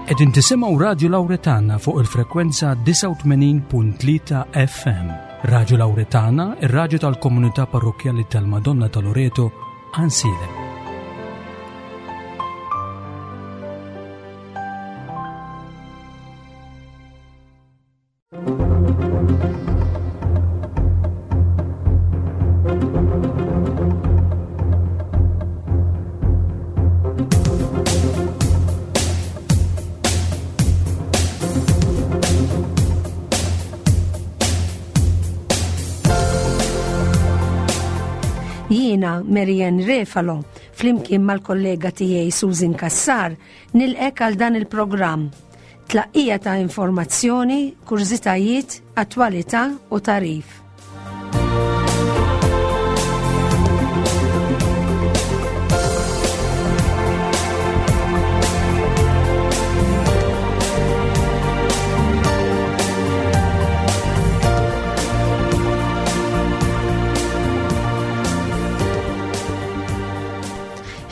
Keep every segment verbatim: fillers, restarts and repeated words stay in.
Qegħdin tisimgħu Radio Lauretana fuq il-frekwenza disgħa u tmenin punt tlieta F M. Radio Lauretana, ir-raġu tal-komunità parrokjali tal-Madonna ta' Loreto, Għajnsielem. Jiena Marianne Refalo, flimkien mal-kollega tiegħi Susan Kassar, nilqgħek għal dan il-programm. Tlaqqija ta' informazzjoni, kurżitajiet, attwalità u tagħrif.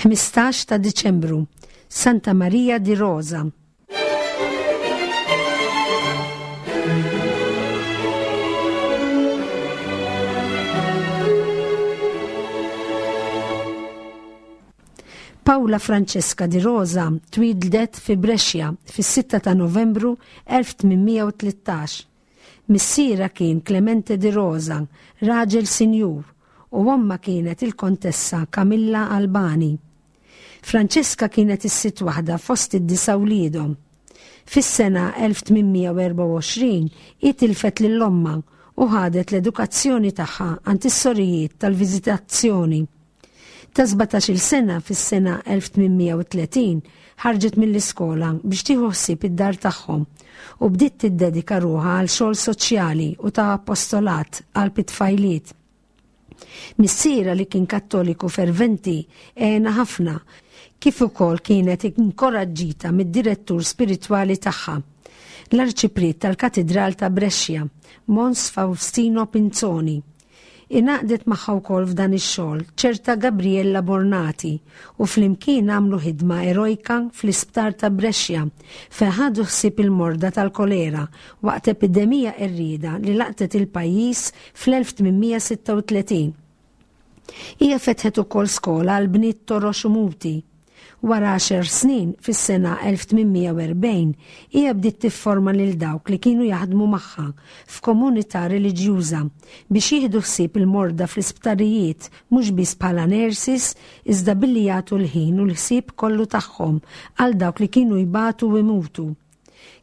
Ħmistax ta' Diċembru, Santa Maria di Rosa. Paola Francesca di Rosa twieldet fi Brescia fis-sitta ta' Novembru elf tmien mija u tlettax. Missierha kien Clemente di Rosa, raġel sinjur, u omma kienet il-kontessa Camilla Albani. Francesca kienet is-sitt waħda fost id-disa' wliedhom. Fis-sena elf tmien mija u erbgħa u għoxrin hi tilfet lil ommha u ħadet l-edukazzjoni tagħha għand is-sorijiet tal-Viżitazzjoni. Ta' sbatax-il sena fis-sena elf tmien mija u tletin ħarġet mill-iskola biex tieħu ħsieb id-dar tagħhom u bdiet tiddedika ruħha għal xogħol soċjali u ta' apostolat għal it-tfajliet. Missierha, li kien kattoliku ferventi, għenha ħafna, kif ukoll kienet inkoraġġita mid-direttur spiritwali tagħha, l-arċipriet tal-Katidral ta' Brescia, Mons Faustino Pinzoni. Ingħaqdet magħha wkoll f'dan ix-xogħol ċerta Gabriella Bornati u flimkien għamlu ħidma erojka fl-isptar ta' Brescia fejn ħadu ħsieb il-morda tal-kolera waqt epidemija qerrieda li laqtet il-pajjiż fl-elf tmien mija u sitta u tletin. Hija fetħet ukoll skola għal bniet torox u muti. Wara għaxar snin, fis-sena elf tmien mija u erbgħin, hija bdiet tifforma lil dawk li kienu jaħdmu magħha f'komunità reliġjuża biex jieħdu ħsieb il-morda fl-isptarijiet, mhux biss bħala nurses iżda billi jagħtu l-ħin u l-ħsieb kollu tagħhom għal dawk li kienu jbatu u imutu.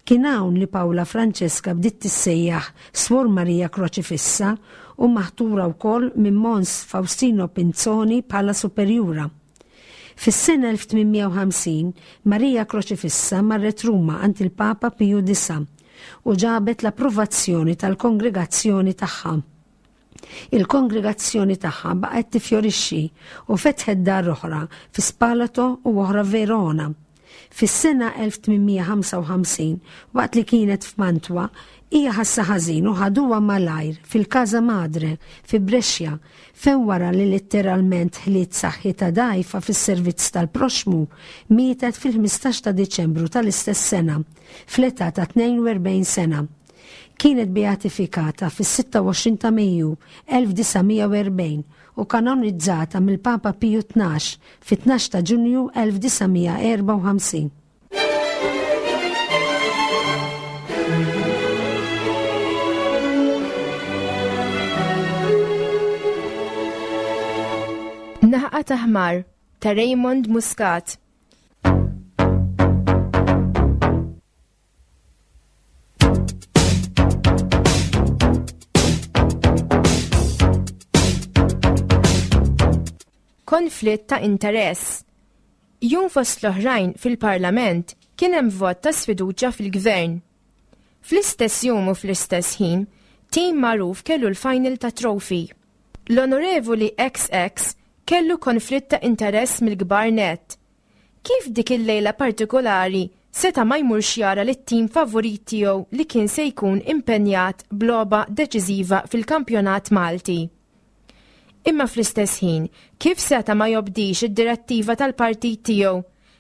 Kien hawn li Paola Francesca bdiet tissejjaħ Swor Maria Kroċifissa u maħtura wkoll minn Mons Faustino Pinzoni bħala superjura. Fis-sena elf tmien mija u ħamsin Maria Kroċifissa marret Ruma għand il-Papa Piju Disa u ġabet l-approvazzjoni tal-kongregazzjoni tagħha. Il-kongregazzjoni tagħha baqgħet tifjorixxi u fetħet dar oħra fi Spalato u oħra Verona. Fis-sena elf tmien mija u ħamsa u ħamsin, waqt li kienet f'Mantwa, hija ħassa ħażin u ħaduha malajr fil-Casa Madre fi Brescia, fejn wara li letteralment ħliet saħħitha dgħajfa fis-servizz tal-proxmu, mietet fil-ħmistax ta' Diċembru tal-istess sena, fl-età ta' tnejn u erbgħin sena. Kienet beatifikata fis-sitta u għoxrin ta' Mejju elf disa' mija u erbgħin u kanonizzata mill-Papa Piju Tnax fit-tnax ta' Ġunju elf disa' mija u erbgħa u ħamsin. Naħqa ta' ħmar ta' Raymond Muscat. Konflitt ta' interess. Jum fost l-oħrajn fil-Parlament kien hemm vot ta' sfiduċja fil-Gvern. Fl-istess jum u fl-istess ħin, tim magħruf kellu l-final ta' trophy. L-Onorevoli X X kellu konflitt ta' interess mill-kbar net. Kif dik il-lejla partikolari seta' ma jmurx jara lit-tim favorit tiegħu li kien se jkun impenjat b'logħba deċiżiva fil-kampjonat Malti? Imma fl-istess ħin, kif seta' ma jobdix id-direttiva tal-partit tiegħu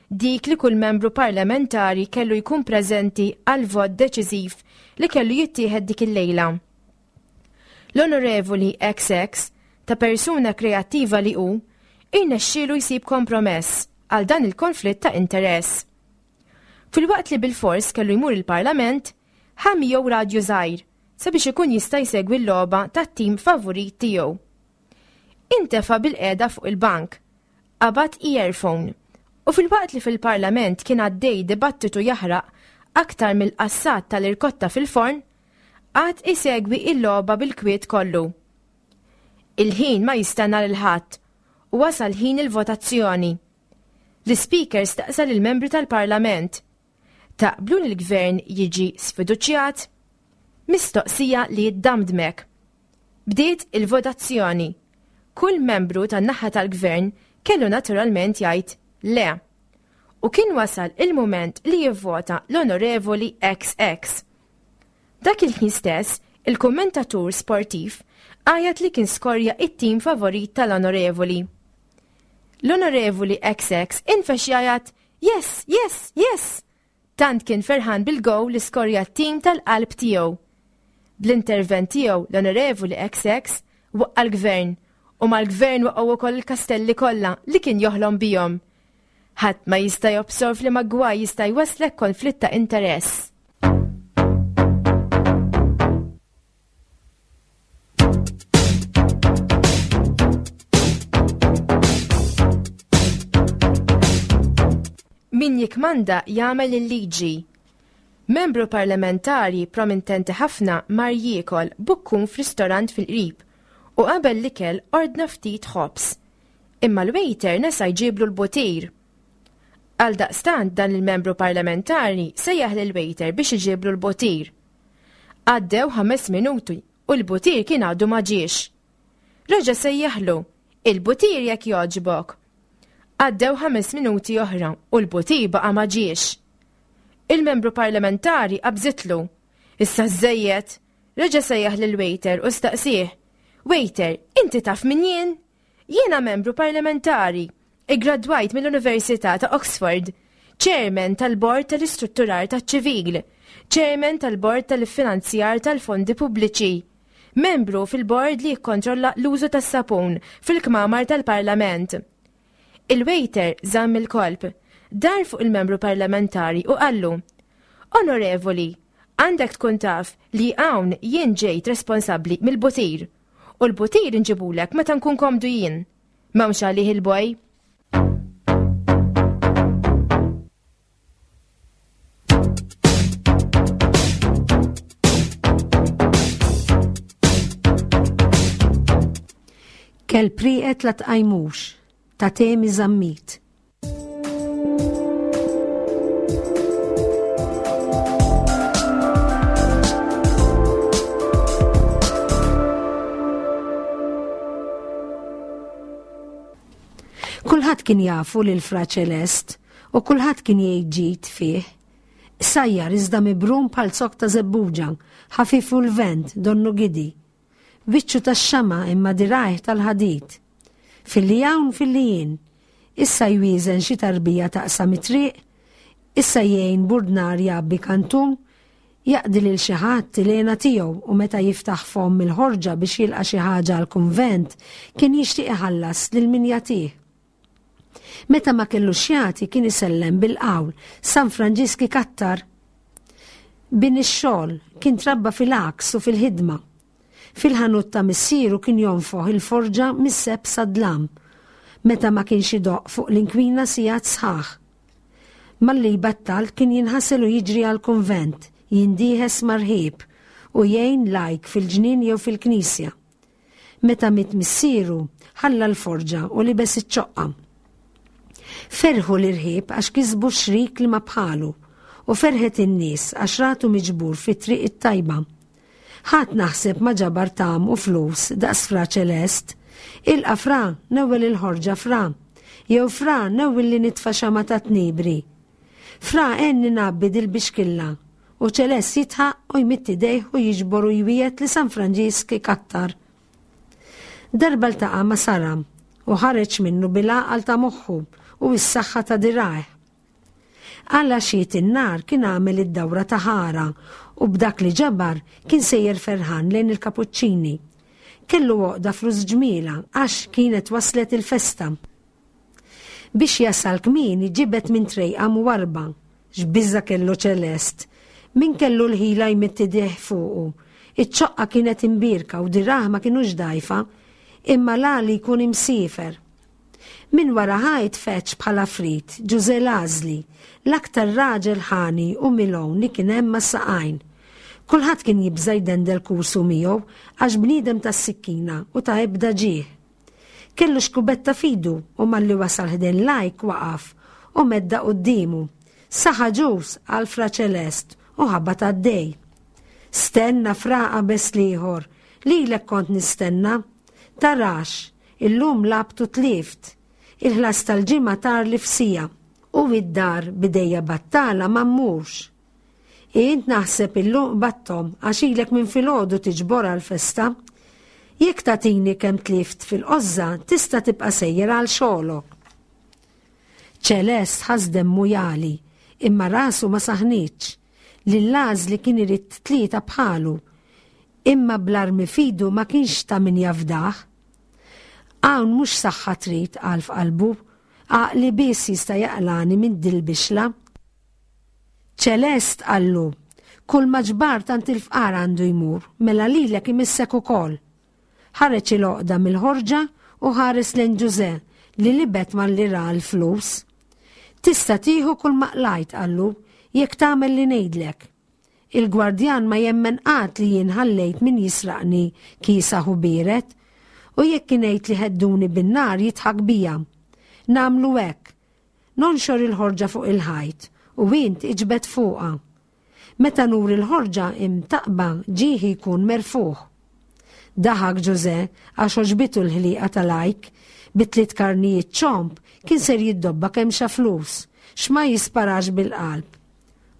Dik li kull membru parlamentari kellu jkun preżenti għal vot deċiżiv li kellu jittieħed dik il-lejla. L-Onorevoli X X, ta' persuna kreattiva li hu, irnexxielu jsib kompromess għal dan il-konflitt ta' interess. Filwaqt li bil-fors kellu jmur il-Parlament, ħa miegħu radju żgħir sabiex ikun jista' jsegwi l-logħba tat-tim favorit tiegħu. Intefa' bil-qiegħda fuq il-bank, qabad earphone, u filwaqt li fil-Parlament kien għaddej dibattitu jaħraq aktar mill-qassat tal-irkotta fil-forn, qagħad isegwi il-logħba bil-kwiet kollu. Il-ħin ma jistenna lil ħadd u wasal ħin il-votazzjoni. L-Speaker staqsa lill-membri tal-Parlament: "Taqblu li l-gvern jiġi sfiduċjat?" Mistoqsija li ddamdmek. Bdiet il-votazzjoni. Kull membru tan-naħa tal-gvern kellu naturalment jgħid le. U kien wasal il-moment li jivvota l-Onorevoli X X. Dak il-ħin stess, il-kommentatur sportiv għajat li kien skorja it-tim favorit tal-Onorevoli. L-Onorevoli X X infexx jgħajat, "Yes, yes, yes!" Tant kien ferħan bil-gowl li skorja t-tim tal-qalb tiegħu. Bl-intervent tiegħu, l-Onorevoli X X waqqa l-gvern u mal-gvern waqgħu wkoll il-kastelli kollha li kien joħlom bihom. Ħadd ma jista' jobsor f'liema gwaj jista' jwaslek konflitt ta' interess. Min jikmanda jagħmel il-liġi. Membru parlamentari prominenti ħafna mar jiekol bukkun f'ristorant fil-qrib u qabel l-ikel ordna ftit ħobż. Imma l-waiter nesa jġiblu l-butir. Għal daqstant dan il-membru parlamentari sejjaħ lil waiter biex iġiblu l-butir. Għaddew ħames minuti u l-butir kien għadu ma ġiex. Reġa' sejjaħlu, "Il-butir jekk jogħġbok." Għaddew ħames minuti oħra u l-butir baqa' ma ġiex. Il-membru parlamentari qabżitlu. "Issa żejjed." Reġa' sejjaħ lil waiter u staqsih: "Waiter, inti taf min jien? Jiena membru parlamentari, iggradwajt mill-Università ta' Oxford, chairman tal-Bord tal-Istrutturar taċ-Ċivil, chairman tal-Bord tal-Finanzjar tal-Fondi Pubbliċi, membru fil-bord li jikkontrolla l-użu tas-sapun fil-kmamar tal-Parlament." Il-waiter żamm il-kolp, dar fuq il-membru parlamentari u qallu: "Onorevoli, għandek tkun taf li hawn jien ġejt responsabbli mill-butir u l-butir inġibulek meta nkun komdu jien. M'hawnx għalih il-boy." Kelb rieqed la tqajmux, ta' Temi Zammit. Kulħadd kien jafu lil Fra Ċelest u kulħadd kien jgħid ġid fih. Qsajjar iżda mibrum bħal zokk ta' żebbuġa, ħafif u l-vent donnu gidi. Biċċu tax-xama imma dirgħajh tal-ħadid. Filli hawn filli jien. Issa jwieżen xi tarbija taqsam it-triq, issa jgħin burdnar jgħabbi kantun, jaqdi lil xi ħadd il-hena tiegħu u meta jiftaħ fomm il-ħorġa biex jilqa' xi ħaġa għall-kunvent kien jixtieq iħallas lil min jagħtih. Meta ma kellux jagħti kien isellem bil-qawl "San Franġisk ikattar." Bin ix-xogħol, kien trabba fil-għaks u fil-ħidma. Fil-ħanut ta' missieru kien jonfoħ il-forġa mis-sebħ sad-dlam, meta ma kienx idoqq fuq l-inkwina sigħat sħaħ. Malli jbattal kien jinħasel u jiġri għal-kunvent, jindiehes mar-rħieb u jgħin lajk fil-ġnien jew fil-knisja. Meta miet missieru, ħalla l-forġa u libes iċ-ċoqqa. Ferħu l-irħieb għax kisbu xrik li ma bħalu u ferħet in-nies għax ratu miġbur fit-triq it-tajba. Ħadd naħseb ma ġabar tgħam u flus daqs Fra Ċelest. "Ilqa Fra, newwel il-ħorġa Fra." Jew "Fra, newwel li nitfa' xama ta' tnibri. Fra, għenni ngħabbi dil-bixkilla." U Ċelest jidħaq u jmidd idejh u jiġbor u jwiegħed li San Franġisk ikattar. Darba ltaqa' ma' Sara u ħareġ minnu bil-għaqal ta' moħħu u s-saħħa ta' dirgħajh. Għal għaxxiet in-nar kien għamel id-dawra ta' ħara u b'dak li ġabar kien sejjer ferħan lejn il-Kapuċċini. Kellu għoqda flus ġmiela għax kienet waslet il-festa. Biex jasal kmieni ġibed minn trejqa mwarba, x'biża kellu Ċelest, min kellu l-ħila jmidd idejh fuqu. Iċ-ċoqqa kienet imbierka u dirgħajh ma kienux dgħajfa, imma l-għali jkun imsiefer. Min wara ħajt feċ bħala frit, Ġużè l-Għażli, l-aktar raġel ħani u milgħun li kien hemm mas-saqajn. Kulħadd kien jibża' jdendel kursu miegħu għax bniedem tas-sikkina u ta' ebda ġieħ. Kellu xkubetta f'idu u malli wasal ħdejn lajk waqaf u medda quddiemu. Saħa ġus għal Fra Ċelest u ħabat għaddej. Stenna fra qabeż l-ieħor, lilek kont nistenna. Tarax, illum lgħabt u tlift. Il-ħlas tal-ġimgħa tar li f'siegħa u id-dar bidejja battala ma mmurx. Int naħseb illum battom għax ilek minn filgħodu tiġbor għal-festa. Jekk tagħtini kemm tlift fil-qozza, tista' tibqa' sejjer għal xogħlok. Ċelest ħass demmu jagħli, imma rasu ma saħnitx. Lill-Għażli kien irid tlieta bħalu, imma bl-armi f'idu ma kienx ta' min jafdah. Hawn mhux saħħa trid għal f'qalbu, għaqli biss jista' jaqlani minn dil-bixla. Ċelest qallu, kull ma ġbart għand il-fqar għandu jmur, mela lilek imissek ukoll. Ħareġ il-għoqda mill-ħorġa u ħares lejn Ġużè li libet malli ra l-flus. Tista' tieħu kull ma qlajt, qallu, jekk tagħmel li ngħidlek. Il-gwardjan ma jemmen qatt li jien ħallejt min jisraqni kiesaħ u biered, u jekk ngħid li hedduni bin-nar jidħak bija. Nagħmlu hekk. Nonxor il-ħorġa fuq il-ħajt u int iġbed fuqha. Meta nur il-ħorġa imtaqba ġieħi jkun merfuħ. Daħak Ġużè għax għoġbitu l-ħliqa tal-ajk, bi tliet karnijiet ċomb kien ser jiddobba kemm xa flus, x'ma jisparax bil-qalb.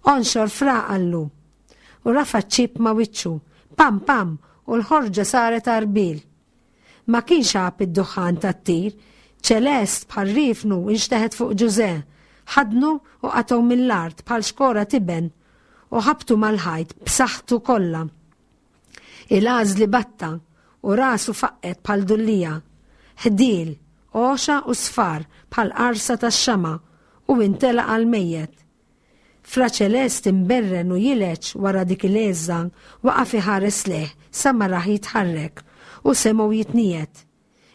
Onxor fra qallu. U rafa ċip ma wiċċu, pam pam, u l-ħorġa saret għarbil. Ma kienx għab id-duħħan tat-tir, Ċelest bħal rifnu inxteħet fuq Ġużè, ħadnu u qatgħu mill-art bħal xkora tiben u ħabtu mal-ħajt b'saħħtu kollha. Il-għażli batta u rasu faqqet bħal dullija, ħdiel, għoxa u sfar bħal qarsa tax-xama u intela għal mejjet. Fra Ċelest imberren u jileċ wara dik il-għeżża waqaf iħares lejh sa ma rah jitħarrek u semgħu jitniet.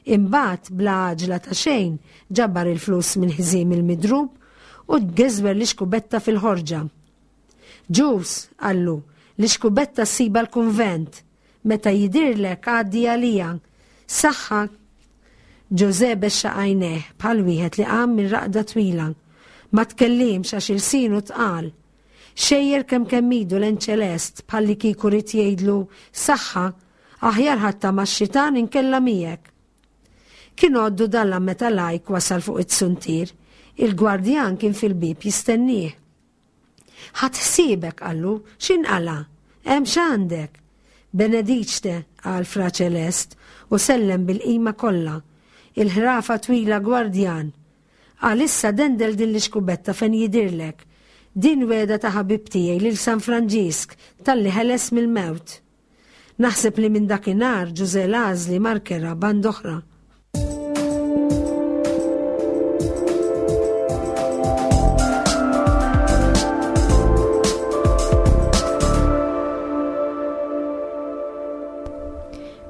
Imbagħad bla għaġla ta' xejn ġabar il-flus minn ħżiem il-midrub u geżwer l-ixkubetta fil-ħorġa. Ġus, qallu, l-ixkubetta ssiba l-kunvent, meta jidirlek għaddi għalija. Saħħa. Ġużè bexxa għajnejh bħal wieħed li qam minn raqda twila. Ma tkellimx għax ilsienu tqal. Xejjer kemm kemm idu lejn Ċelest bħal li kieku ried jgħidlu saħħa, aħjar ħatta max-xitan inkella miegħek. Kien għoddu dalla meta lajk wasal fuq it-suntier, il-gwardjan kien fil-bib jistennieh. Ħadd ħsiebek, qallu, x'inqala? Hemm x'għandek? Benediċte, qal Fra Ċelest, u sellem bil-qima kollha. Il-ħrafa twila gwardjan. Għalissa dendel din l-ixkubetta fejn jidirlek. Din weda ta' ħabib tiegħi lil San Franġisk talli ħeles mill-mewt. Naħseb li minn dakinhar Ġużè l-Għażli markera band oħra.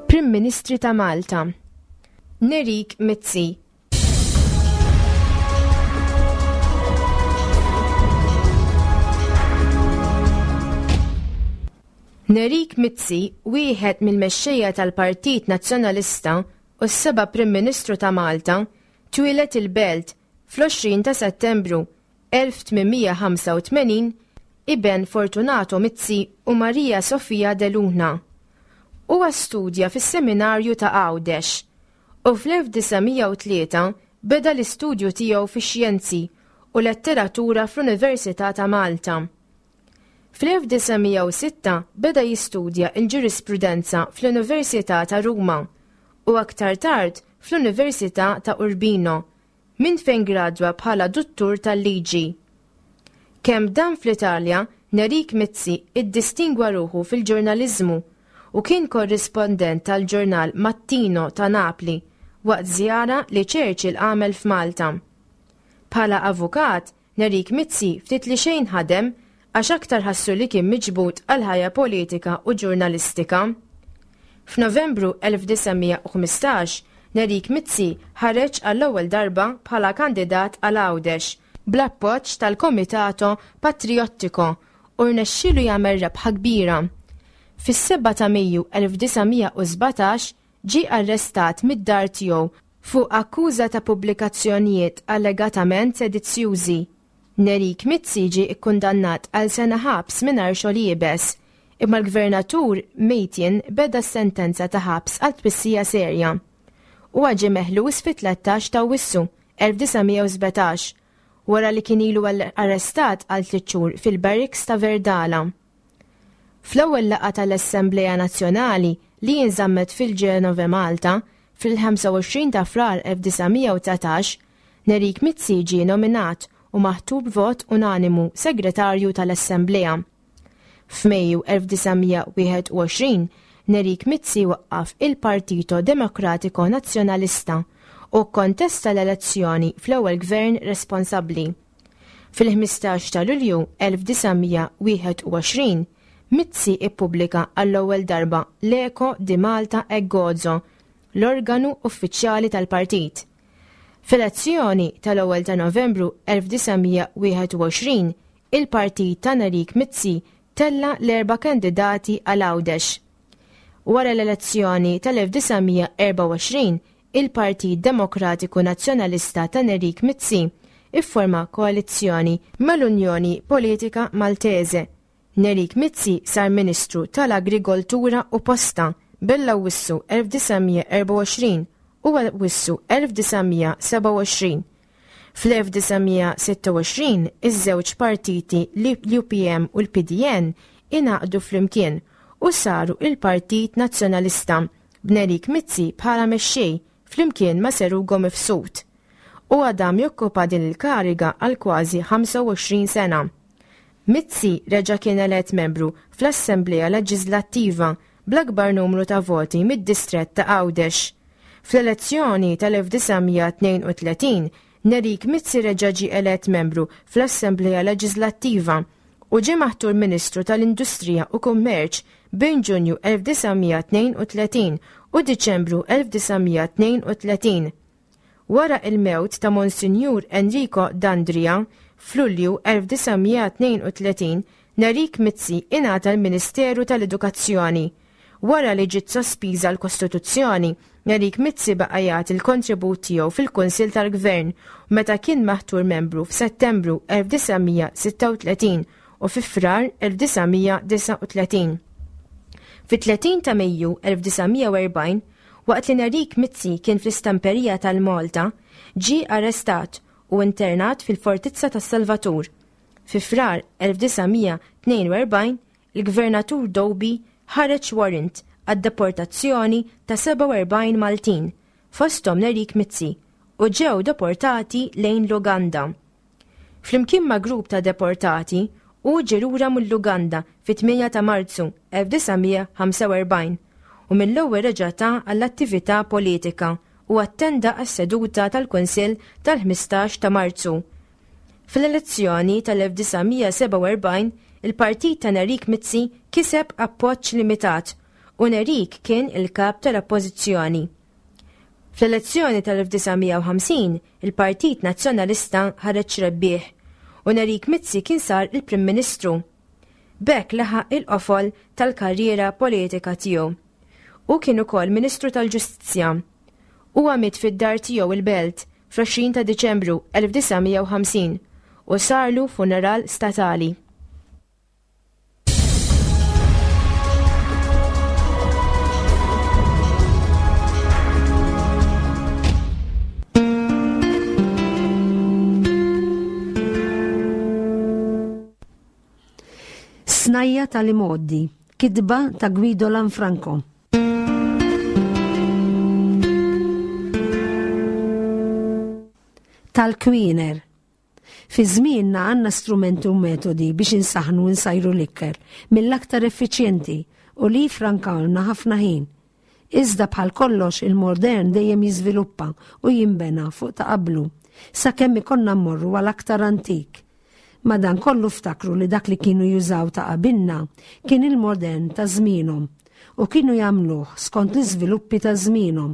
Prim Ministri ta' Malta Nerik Mizzi. Nerik Mizzi, wieħed mill-mexxejja tal-Partit Nazzjonalista u s-seba' Prim Ministru ta' Malta, twieled il-Belt fl-għoxrin ta' Settembru elf tmien mija ħamsa u tmenin, iben Fortunato Mizzi u Maria Sofia de Luna. Huwa studja fis-seminarju ta' Għawdex u fl-elf disa' mija u tlieta beda l-istudju tiegħu fix-xjenzi u letteratura fl-Università ta' Malta. Fl-elf disa' mija u sitta beda jistudja l-ġurisprudenza fl-Università ta' Ruma u aktar tard fl-Università ta' Urbino, minn fejn gradwa bħala duttur tal-liġi. Kemm dam fl-Italja, Nerik Mizzi iddistingwa ruħu fil-ġurnaliżmu u kien korrispondent tal-ġurnal Mattino ta' Napli waqt żjara li Churchill għamel f'Malta. Bħala avukat, Nerik Mizzi ftit li xejn ħadem għax aktar ħassu li kien miġbud għal ħajja politika u ġurnalistika. F'Novembru elf disa' mija u ħmistax, Nerik Mizzi ħareġ għall-ewwel darba bħala kandidat għal Għawdex bl-appoġġ tal-Komitato Patriottico u rnexxielu jagħmel rebħa kbira. Fis-sebgħa ta' Mejju elf disa' mija u sbatax ġie arrestat mid-dar tiegħu fuq akkuża ta' pubblikazzjonijiet allegatament sedizzjużi. Nerik Mizzi ġie kkundannat għal sena ħabs mingħajr xogħol iebes, imma l-gvernatur Mejtien beda s-sentenza ta' ħabs għal twissija serja. Huwa ġie meħlus fit-tlettax ta' Awwissu elf disa' mija u sbatax, wara li kien ilu arrestat għal tliet xhur fil-barracks ta' Verdala. Fl-ewwel laqgħa tal-Assembleja Nazzjonali li jinżammet fil-Ġenove Malta fil-ħamsa u għoxrin ta' Frar elf disa' mija u dsatax, Nerik Mizzi ġie nominat u maħtur b'vot unanimu segretarju tal-Assemblea. F'Mejju elf disa' mija u wieħed u għoxrin, Nerik Mizzi waqqaf il-Partito Demokratico Nazzjonalista u kkontesta l-elezzjoni fl-ewwel gvern responsabbli. Fil-ħmistax ta' Lulju elf disa' mija u wieħed u għoxrin, Mizzi ippubblika għall-ewwel darba l-Eco di Malta e Gozo, l-organu uffiċjali tal-partit. Fl-elezzjoni tal-ewwel ta' Novembru elf disa' mija u wieħed u għoxrin, il-partit ta' Nerik Mizzi tella l-erba' kandidati għal Għawdex. Wara l-elezzjoni tal-elf disa' mija erba' u għoxrin, il-Partit Demokratiku Nazzjonalista ta' Nerik Mizzi ifforma koalizzjoni mal-Unjoni Politika Maltese. Nerik Mizzi sar Ministru tal-Agrikoltura u Posta bell-Awwissu elf disa' mija erba' u għoxrin u Awwissu elf disa' mija seba' u għoxrin. Fl-elf disa' mija sitta u għoxrin, iż-żewġ partiti l-U P M u l-P D N ingħaqdu flimkien u saru il-Partit Nazzjonalista b'Nerik Mizzi bħala mexxej flimkien ma' Sir Ugo Mifsud. U għadam jokkupa din il-kariga għal kważi ħamsa u għoxrin sena. Mizzi reġa' kien elett membru fl-Assemblea Leġislattiva bl-akbar numru ta' voti mid-distrett ta' Għawdex. Fl-elezzjoni tal-elf disa' mija tnejn u tletin, Nerik Mizzi reġa' ġie elett membru fl-Assemblea Leġislattiva u ġie maħtur Ministru tal-Industrija u Kummerċ bejn Ġunju elf disa' mija tnejn u tletin u Diċembru elf disa' mija tnejn u tletin. Wara il-mewt ta' Monsinjur Enrico Dandria f'Lulju elf disa' mija tnejn u tletin, Nerik Mizzi ingħata l-Ministeru tal-Edukazzjoni. Wara li ġiet sospiża l-Kostituzzjoni, Nerik Mizzi baqa' jagħti l-kontribut tiegħu fil-Kunsill tal-Gvern meta kien maħtur membru f'Settembru elf disa' mija sitta u tletin u fi Frar elf disa' mija disa' u tletin. Fit-tletin ta' Mejju elf disa' mija u erbgħin, waqt li Nerik Mizzi kien fl-istamperija tal-Malta, ġie arrestat u internat fil-Fortizza tas-Salvatur. Fi Frar elf disa' mija tnejn u erbgħin, il-Gvernatur Doby ħareġ warrant għad-deportazzjoni ta' seba' u erbgħin Maltin, fosthom Nerik Mizzi, u ġew deportati lejn l-Uganda. Flimkien ma' grupp ta' deportati, u ġie lura mill-Uganda fit-tmienja ta' Marzu elf disa' mija ħamsa u erbgħin u mill-ewwel reġa' ta għall-attività politika u attenda għas-seduta tal-Kunsill tal-ħmistax ta' Marzu. Fl-elezzjoni tal-elf disa' mija seba' u erbgħin, il-partit ta' Nerik Mizzi kiseb appoġġ limitat u Nerik kien il-kap tal-Oppożizzjoni. Fl-elezzjoni tal-elf disa' mija u ħamsin, il-Partit Nazzjonalista ħareġ rebbieħ u Nerik Mizzi kien sar il-Prim Ministru. B'hekk laħaq il-qofol tal-karriera politika tiegħu. U kien ukoll Ministru tal-Ġustizzja. Huwa miet fid-dar tiegħu il-Belt fl-għoxrin ta' Diċembru elf disa' mija u ħamsin u sarlu funeral statali. Snajja tal-imgħoddi, kitba ta' Guido Lanfranco. Tal-Kwiner. Fi żmienna għandna strumenti u metodi biex insaħnu u nsajru l-ikel mill-aktar effiċjenti u li jifrankawlna ħafna ħin. Iżda bħal kollox il-modern dejjem jiżviluppa u jinbena fuq ta' qablu, sakemm ikollna mmorru għal aktar antik. Madankollu ftakru li dak li kienu jużaw ta' qabilna kien il-modern ta' żmienhom u kienu jagħmluh skont l-iżviluppi ta' żmienhom.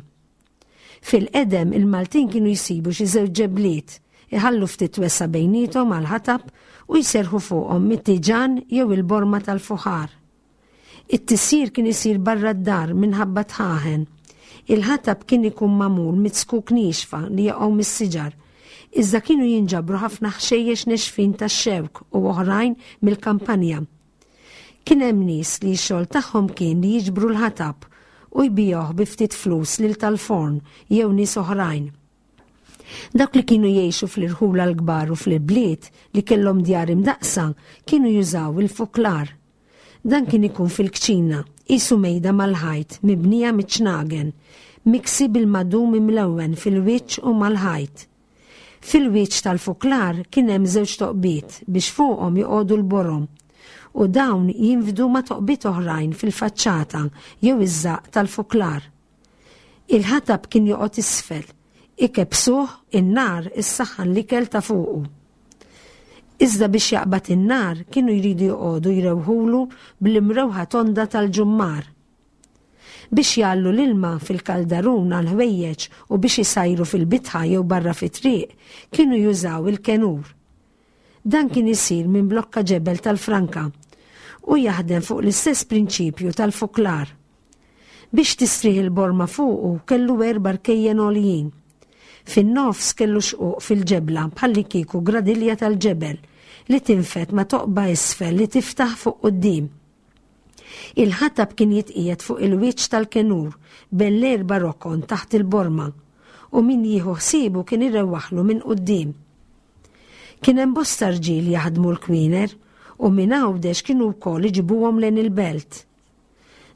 Fil-qedem il-Maltin kienu jsibu xi żewġ ġebliet, iħallu ftit wesgħa bejniethom għal ħatab u jserħu fuqhom mit-tiġan jew il-borma tal-fuħar. It-tisjir kien isir barra d-dar minħabba dħaħen. Il-ħatab kien ikun magħmul mit-zkuk niexfa li jaqgħu mis-siġar. Iżda kienu jinġabru ħafna ħxejjex nexfin tax-xewk u oħrajn mill-kampanja. Kien hemm nies li x-xogħol tagħhom kien li jiġbru l-ħatab u jbigħuh bi ftit flus lil tal-forn jew nies oħrajn. Dawk li kienu jgħixu fl-irħula l-kbar u fl-bliet li kellhom djar imdaqsa kienu jużaw il-fuklar. Dan kien ikun fil-kċina, qisu mejda mal-ħajt mibnija miċ-ċnagen, miksi bil-madum imlewwen fil-wiċċ u mal-ħajt. Fil-wiċċ tal-fuklar kien hemm żewġ toqbiet biex fuqhom joqogħdu l-borom u dawn jinfdu ma' toqbiet oħrajn fil-faċċata jew iż-żaqq tal-fuklar. Il-ħatab kien joqgħod isfel, ikebsuh in-nar issaħħan l-ikel ta' fuqu. Iżda biex jaqbad in-nar kienu jridu joqogħdu jrewħulu bl-imrewħa tonda tal-ġummar. Biex jgħallu l-ilma fil-kaldarun għal-ħwejjeġ u biex isajru fil-bitħa jew barra fit-triq kienu jużaw il-kenur. Dan kien isir minn blokka ġebel tal-franka u jaħdem fuq l-istess prinċipju tal-fuklar. Biex tistrieħ il-borma fuqu kellu erba' rkejjen għoljin. Fin-nofs kellu xquq fil-ġebla bħalli kieku gradilja tal-ġebel li tinfed ma' toqba isfel li tiftaħ fuq quddiem. Il-ħatab kien jitqiegħed fuq il-wiċċ tal-kenur bejn l-erba' rokon taħt il-borma u min jieħu ħsiebu kien irewwaħlu minn quddiem. Kien hemm bosta rġiel jaħdmu l-kwiner u minn Għawdex kienu wkoll iġibuhom lejn il-belt.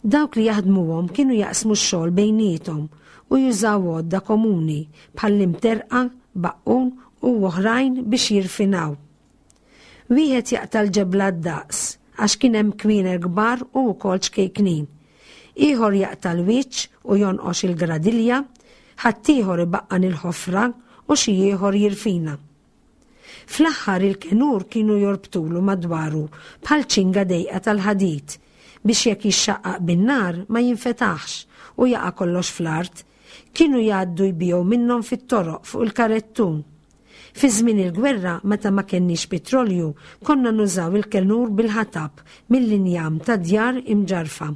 Dawk li jaħdmuhom kienu jaqsmu x-xogħol bejniethom u jużaw għodda komuni bħall-imterqa, baqqun u oħrajn biex jirfinaw. Wieħed jaqta' l-ġebla d-daqs għax kien hemm kwiner kbar u wkoll ċkejknin. Ieħor jaqta' l-wiċċ u jonqox il-gradilja, ħaddieħor ibaqqan il-ħofra u xi ieħor jirfina. Fl-aħħar il-kenur kienu jorbtulu madwaru bħal ċinga dejqa tal-ħadid biex jekk jixxaqqaq bin-nar ma jinfetaħx u jaqa' kollox fl-art, kienu jgħaddu jbigħu minnhom fit-toroq fuq il-karettun. Fi żmien il-gwerra meta ma kenniex petrolju konna nużaw il-kenur bil-ħatab mill-injam ta' djar imġarfa.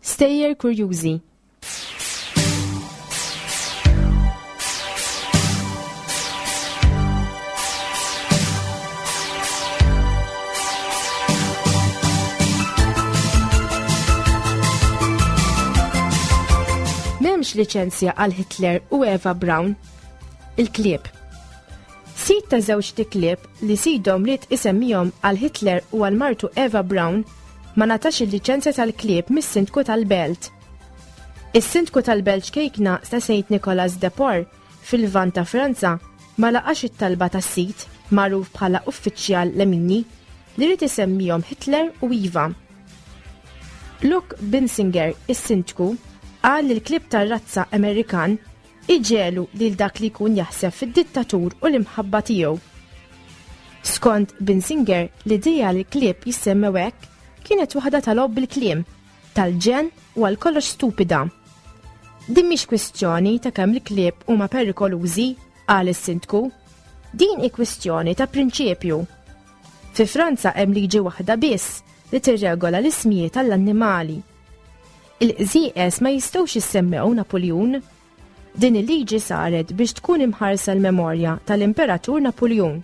Stejjer kurjużi. M'hemmx liċenzja għal Hitler u Eva Braun. Il-klieb. Sid ta' żewġ klieb li sidhom ried isemmihom għal Hitler u għal martu Eva Braun ma ngħatax il-liċenzja tal-klieb mis-sindku tal-belt. Is-sindku tal-belt ċkejkna ta' Saint Nicolas de Port fil-Lvant ta' Franza ma laqax it-talba tas-sit magħruf bħala uffiċjal Lemini li ried isemmihom Hitler u Eva. Luke Binsinger, is-sindku, qal li l-klieb tar-razza Amerikan iġelu lil dak li jkun jaħseb fid-dittatur u l-imħabba tiegħu. Skont Binsinger, l-idea li l-klieb jissemmew hekk kienet waħda tal-logħob bil-kliem, tal-ġenn u għal kollox stupida. Din mhix kwistjoni ta' kemm il-klieb huma perikolużi, qal is-sindku. Din hi kwistjoni ta' prinċipju. Fi Franza hemm liġi waħda biss li tirregola l-ismijiet tal-annimali. Il-qżieqes ma jistgħux jissemmew Napoleon. Din il-liġi saret biex tkun imħarsa l-memorja tal-Imperatur Napoleon.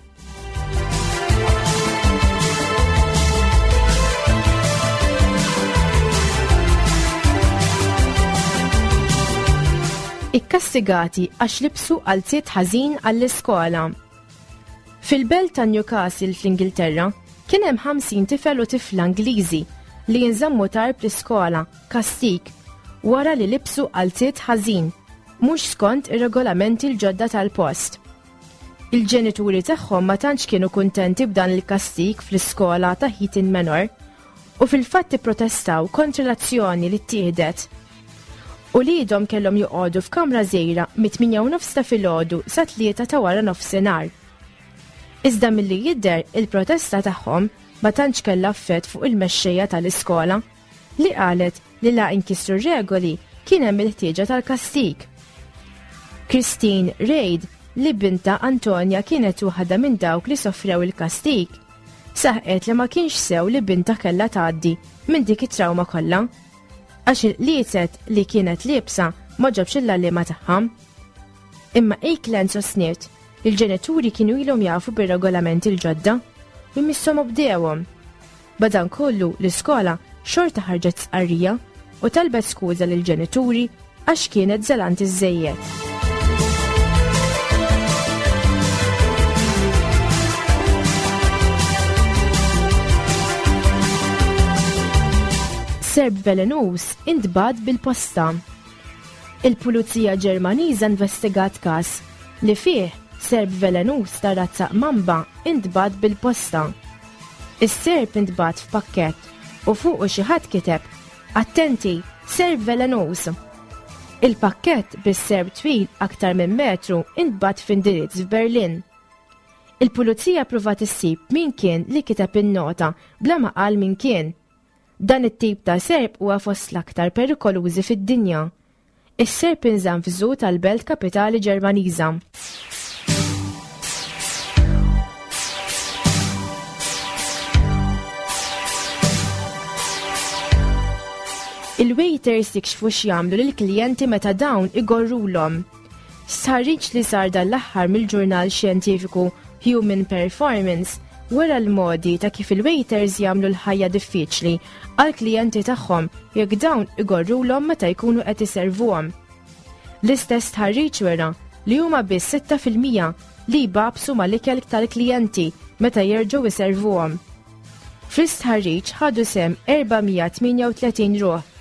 Ikkastigati għax libsu qalziet ħażin għall-iskola. Fil-belt ta' Newcastle fl-Ingilterra kien hemm ħamsin tifel u tifla Ingliżi li jinżammu tard l-iskola kastik wara li libsu qalziet ħażin. mhux skont ir-regolamenti l-ġodda tal-post. Il-ġenituri tagħhom ma tantx kienu kuntenti b'dan il-kastig fl-iskola ta' Heaton Manor u fil-fatt ipprotestaw kontra l-azzjoni li ttieħdet. Uliedhom kellhom joqogħdu f'kamra żgħira mit-tmienja u nofs ta' filgħodu sa tlieta ta' wara nofsinhar. Iżda milli jidher il-protesta tagħhom ma tantx kellha effett fuq il-mexxejja tal-iskola li qalet li la inkisru regoli kien hemm il-ħtieġa tal-kastig. Christine Reid, li binta Antonia kienet waħda minn dawk li soffrew il-kastig, saħqet li ma kienx sew li binta kellha tgħaddi minn dik it-trawma kollha, għax il-qliezet li kienet liebsa ma ġobx il-għalliema tagħha. Imma Eakland sostniet li l-ġenituri kienu ilhom jafu bir-regolamenti l-ġodda u jmisshom obdewhom. Madankollu l-iskola xorta ħarġet stqarrija u talbet skuża lill-ġenituri għax kienet żelanti żejjed. Serp velenuż intbagħat bil-posta. Il-Pulizija Ġermaniża investigat każ li fih serp velenuż ta' razza mamba intbagħat bil-posta. Is-serp intbagħat f'pakkett u fuqu xi ħadd kiteb: Attenti, serp velenuż. Il-pakkett bis-serp twil aktar minn metru intbagħat f'indirizz f'Berlin. Il-pulizija pruvat issib min kien li kiteb in-nota bla ma qal min kien. Dan it-tip ta' serp huwa fost l-aktar perikolużi fid-dinja. Is-serp inżamm f'żoo tal-belt kapitali Ġermaniża. Il-waiters jikxfu x'jagħmlu lill-klijenti meta dawn igorrulhom. Stħarriġ li sar dan l-aħħar mill-ġurnal xjentifiku Human Performance wera l-modi ta' kif il-waiters jagħmlu l-ħajja diffiċli għall-klijenti tagħhom jekk dawn igorrulhom meta jkunu qed iservuhom. L-istess stħarriġ wera li huma biss sitta fil-mija li jbabsu mal-ikel tal-klijenti meta jerġgħu jservuhom. Fl-istħarriġ ħadu sehem erba' mija tmienja u tletin ruħ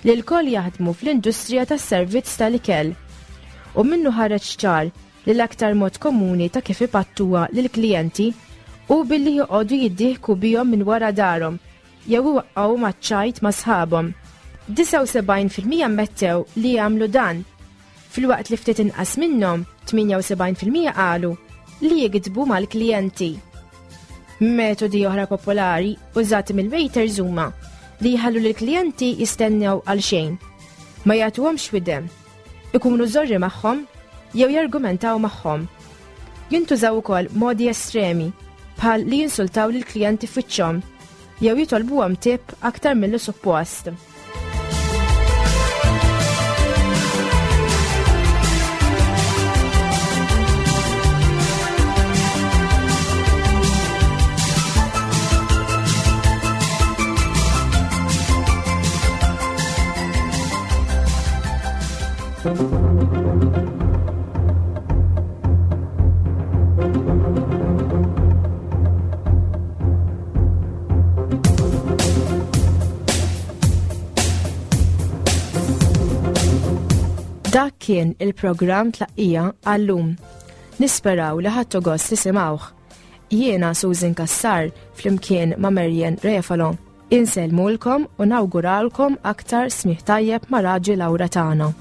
li lkoll jaħdmu fl-industrija tas-servizz tal-ikel. U minnu ħareġ ċar li l-aktar mod komuni ta' kif ipattuha lill-klijenti u billi joqogħdu jiddieħku bihom minn wara darhom jew iwaqqgħu maċ-ċajt ma' sħabhom. Disgħa u sebgħin fil-mija ammettew li jagħmlu dan, filwaqt li ftit inqas minnhom tmienja u sebgħin fil-mija qalu li jigdbu mal-klijenti. Metodi oħra popolari użati mill-waiters huma li jħallu lill-klijenti jistennew għal xejn, ma jagħtuhomx widem, ikunu żorri magħhom jew jargumentaw magħhom. Jintużaw ukoll modi estremi bħal li jinsultaw lill-klijenti f'wiċċhom jew jitolbuhom tip aktar milli suppost. Dak kien il-programm Tlaqqija għallum. Nisperaw li ħadtu gost tisimgħuh. Jiena Susan Cassar flimkien ma' Marian Refalo. Insellmulkom u nawguralkom aktar smigħ tajjeb ma' Raġi Lawra tagħna.